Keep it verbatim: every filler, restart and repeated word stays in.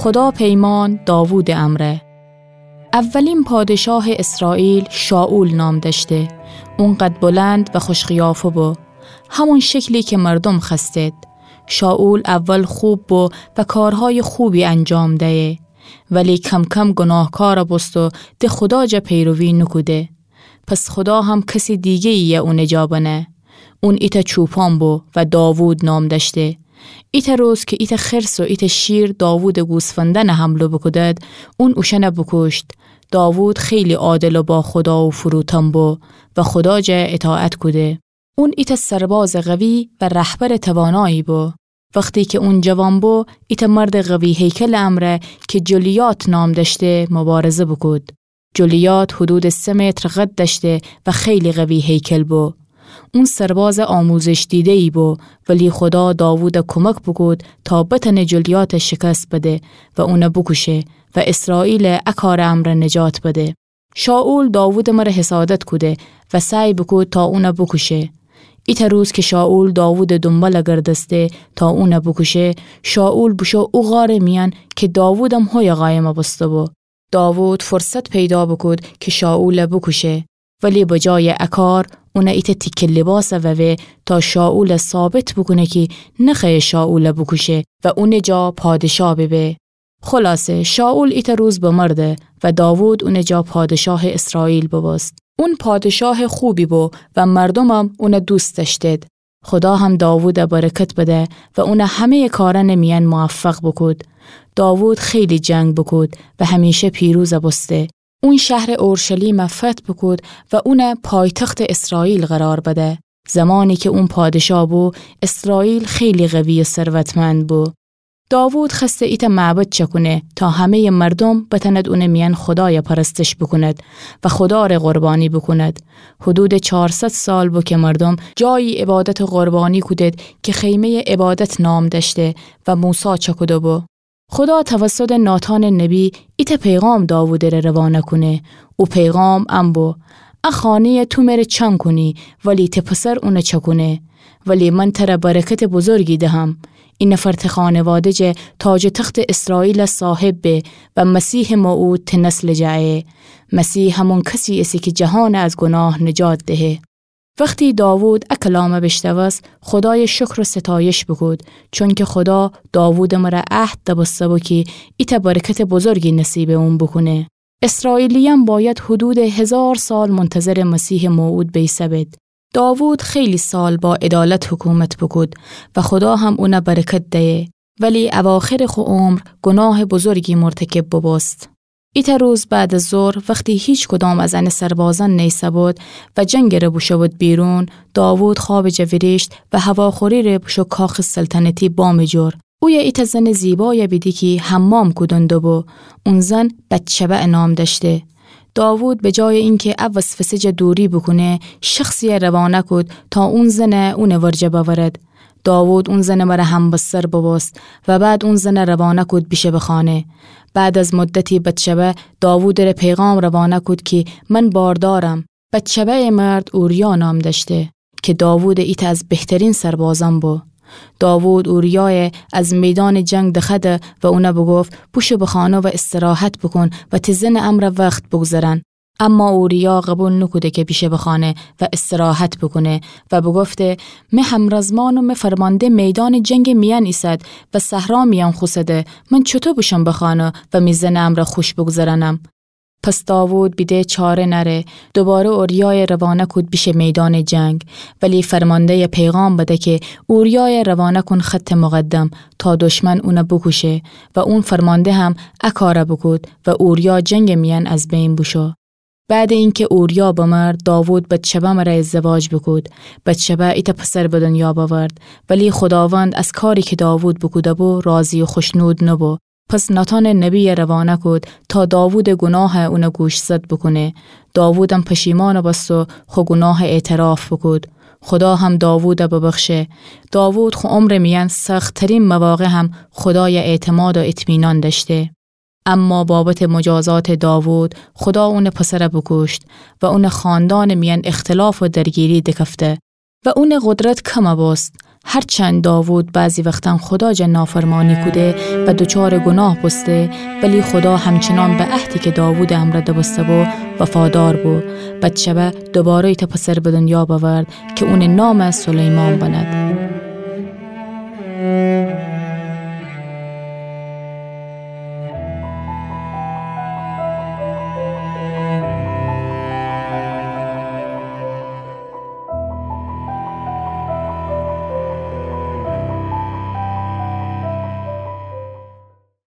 خودا پیمان داوودٚ امرأ. اولین پادشاهٚ اسرائیل شائول نام دأشته. اون قد بلند و خوشقیافه بو، همون شکلی که مردوم خوأستید. شائول اول خوب بو و کارهایٚ خوبی انجام دیه، ولی کم‌کم گوناهکار بوست و د خودا جا پیروی نوکوده. پس خودا هم کسٚ دیگه‌یی اونٚ جا بنه. اون ایتأ چوپان بو و داوود نام دأشته. ایتأ روز که ایتأ خرس و ایتأ شیر داوودٚ گوسفندأن حمله بوکودد، اون اوشأن بوکوشت. داوود خیلی عادل و با خودا و فروتن بو و خودا جا اطاعت کوده. اون ایتأ سربازٚ قوی و رهبرٚ توانایی بو. وختی که اون جوان بو، ایتأ مردٚ قوی هیکلٚ امرأ که جولیات نام دأشته، موبارزه بوکود. جولیات حدودٚ سه متر قد دأشته و خیلی قوی هیکل بو. اون سربازٚ آموزش دیده‌یی بو، ولی خودا داوود کومک بوکود تا بتأنه جولیات شکست بده و اون بوکوشه و اسرائیل ا کارٚ امرأ نجات بده. شائول داوودٚ مره حسادت کوده و سعی بوکود تا اون بوکوشه. ایتأ روز که شائول داوودٚ دونبال گردسته تا اون بوکوشه، شائول بوشو او غارٚ میأن که داوودم هویه قایم بوسته بو. داوود فرصت پیدا بوکود که شائول بوکوشه، ولی بجایٚ ا کار اون ایتأ تیکه لیباس ووه تا شائول ثابت بوکونه که نخوأیه شائول بوکوشه و اونٚ جا پادشا ببه. خلاصه، شائول ایتأ روز بمرده و داوود اونٚ جا پادشاهٚ اسرائیل بوبوست. اون پادشاهٚ خوبی بو و مردومم اون دوست دأشتید. خودا هم داوود برکت بده و اون همه‌یٚ کارأنٚ میأن موفق بوکود. داوود خیلی جنگ بوکود و همیشه پیروز بوسته. اون شهرٚ اورشلیم فتح بوکود و اون پایتختٚ اسرائیل قرار بده. زمانی که اون پادشا بو، اسرائیل خیلی قوی و ثروتمند بو. داوود خوأسته ایتأ معبد چکونه تا همه‌یٚ مردوم بتأند اونٚ میأن خودای پرستش بوکوند و خودا ره قربانی بوکوند. حدودٚ چارصد سال بو که مردوم جایی عبادت و قربانی کودید که خیمه‌یٚ عبادت نام دأشته و موسی چکوده بو. خودا توسطٚ ناتانٚ نبی ایتأ پیغام داوودٚ ره روانه کونه. او پیغام ان بو: ا خانه‌یه تو مره چنگ کونی، ولی ته پسر اون چکونه. ولی من تره برکتٚ بزرگی دهم. ای نفر ته خانواده جه تاجٚ تختٚ اسرائیل صاحب به و مسیحٚ موعود ته نسلٚ جه ایه. مسیح همون کسی ایسه که جهان از گناه نجات دهه. وختی داوود ا کلام بیشنوست، خودای شکر و ستایش بوکود، چونکه خودا داوودٚ مره عهد دبسته بو کی ایتأ برکتٚ بزرگی نصیبٚ اون بوکونه. اسرائیلیأن بأید حدودٚ هزار سال منتظرٚ مسیحٚ موعود بیسه‌بید. داوود خیلی سال با عدالت حکومت بوکود و خودا هم اون برکت دیه، ولی اواخرٚ خو عمر گناهٚ بزرگی مرتکب بوبوست. ایتأ روز بعد از ظهر، وختی هیچ کدام از انٚ سربازأن نیسه‌بود و جنگٚ ره بوشوبود بیرون، داوود خوابٚ جه ویریشت و هواخوری ره بوشو کاخٚ سلطنتی بامٚ جور. اویه ایتأ زنٚ زیبای بیده کی حمام کودن دوبو. اون زن بتشبع نام دأشته. داوود به جای اینکه ا وسوسه جه دوری بوکونه، شخصی روانه کود تا اون زن اونٚ ورجه بأورد. داوود اون زنٚ مره همبستر ببوست و بعد اون زن روانه کود بیشه به خانه. بعد از مدتی بتشبع داوودٚ ره پیغام روانه کود کی من باردارم. بتشبعٚ مرد اوریا نام دأشته که داوودٚ ایتأ از بهترین سربازأن بو. داوود اوریای از میدانٚ جنگ دخوأده و اون بوگفت بوشو به خانه و استراحت بوکون و تی زنٚ امرأ وخت بوگذرأن. اما اوریا قبول نوکوده که بیشه به خانه و استراحت بوکونه و بوگفته می همرزمان و می فرمانده میدانٚ جنگٚ میأن ایسد و صحرا میأن خوسده، من چوطو بوشوم به خانه و می زنٚ امرأ خوش بوگذرأنم؟ پس داوود بیده چاره نأره، دوباره اوریای روانه کود بیشه میدانٚ جنگ، ولی فرمانده‌ی پیغام بده که اوریای روانه کون خطٚ مقدم تا دشمن اون بوکوشه و اون فرمانده هم ا کار بوکود و اوریا جنگٚ میأن از بین بوشو. بعدٚ اینکه اوریا بمرد، داوود بتشبع مره ازدواج بوکود. بتشبع ایتأ پسر به دنیا بأورد، ولی خوداوند از کاری که داوود بوکوده بو راضی و خوشنود نبو. پس ناتانٚ نبی روانه کود تا داوودٚ گناه اون گوشزد بوکونه. داوودم پشیمان بوست و خو گناه اعتراف بوکود. خودا هم داوود ببخشه. داوود خو عمرٚ میأن سخت‌ترین مواقع هم خودای اعتماد و اطمینان دأشته. اما بابتٚ مجازاتٚ داوود، خودا اونٚ پسر بوکوشت و اونٚ خاندانٚ میأن اختلاف و درگیری دکفته و اونٚ قدرت کم بوست. هرچند داوود بعضی وختأن خودا جا نافرمانی کوده و دوچارٚ گوناه بوسته، ولی خودا همچنان به عهدی که داوودٚ امرأ دبوسته بو، وفادار بو. بتشبع دوباره ایتأ پسر به دنیا بأورد که اونٚ نام سلیمان بنه.